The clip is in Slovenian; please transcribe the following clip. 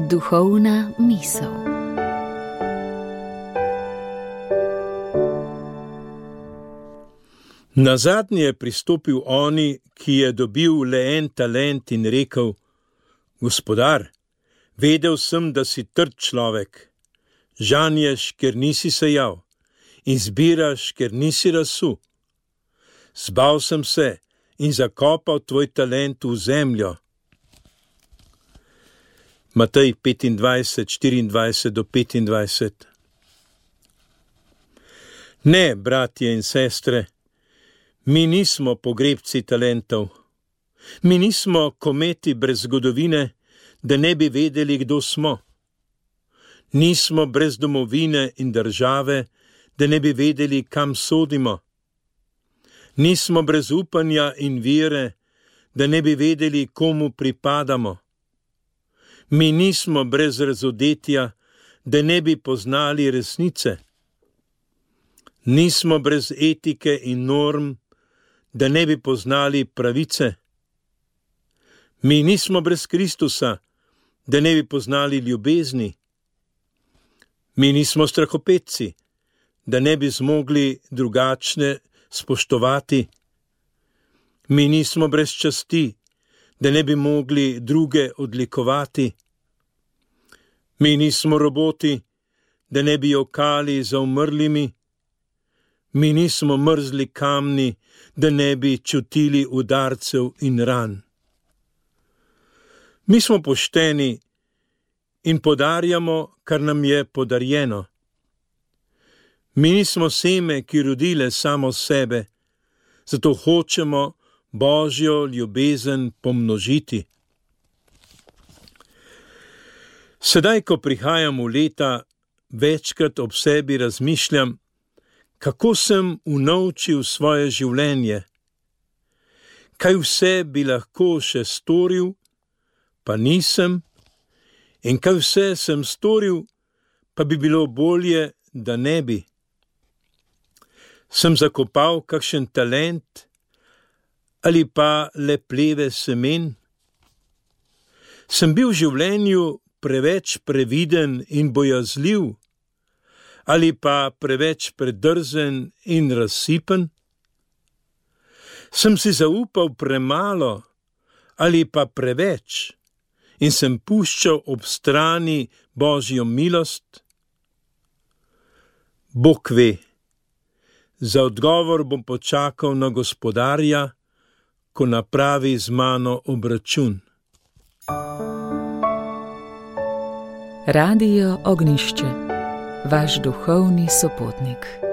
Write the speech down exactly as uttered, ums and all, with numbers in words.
Duhovna misel. Nazadnje je pristopil oni, ki je dobil le en talent in rekel: Gospodar, vedel sem, da si trd človek, žanješ, ker nisi sejal, in zbiraš, ker nisi razsul. Zbal sem se in zakopal tvoj talent v zemljo. Matej petindvajset, štiriindvajset do petindvajset. Ne, bratje in sestre, mi nismo pogrebci talentov. Mi nismo kometi brez zgodovine, da ne bi vedeli, kdo smo. Nismo brez domovine in države, da ne bi vedeli, kam sodimo. Nismo brez upanja in vere, da ne bi vedeli, komu pripadamo. Mi nismo brez razodetja, da ne bi poznali resnice. Nismo brez etike in norm, da ne bi poznali pravice. Mi nismo brez Kristusa, da ne bi poznali ljubezni. Mi nismo strahopetci, da ne bi zmogli drugačne spoštovati. Mi nismo brez časti, da ne bi mogli druge odlikovati. Mi nismo roboti, da ne bi jokali za umrlimi. Mi nismo mrzli kamni, da ne bi čutili udarcev in ran. Mi smo pošteni in podarjamo, kar nam je podarjeno. Mi nismo seme, ki rodile samo sebe, zato hočemo Božjo ljubezen pomnožiti. Sedaj, ko prihajam v leta, večkrat ob sebi razmišljam, kako sem unovčil svoje življenje, kaj vse bi lahko še storil, pa nisem, in kaj vse sem storil, pa bi bilo bolje, da ne bi. Sem zakopal kakšen talent ali pa le pleve semen? Sem bil v življenju preveč previden in bojazljiv ali pa preveč predrzen in razsipen? Sem si zaupal premalo ali pa preveč in sem puščal ob strani Božjo milost? Bog ve. Za odgovor bom počakal na Gospodarja, ko napravi z mano obračun. Radio Ognjišče, vaš duhovni sopotnik.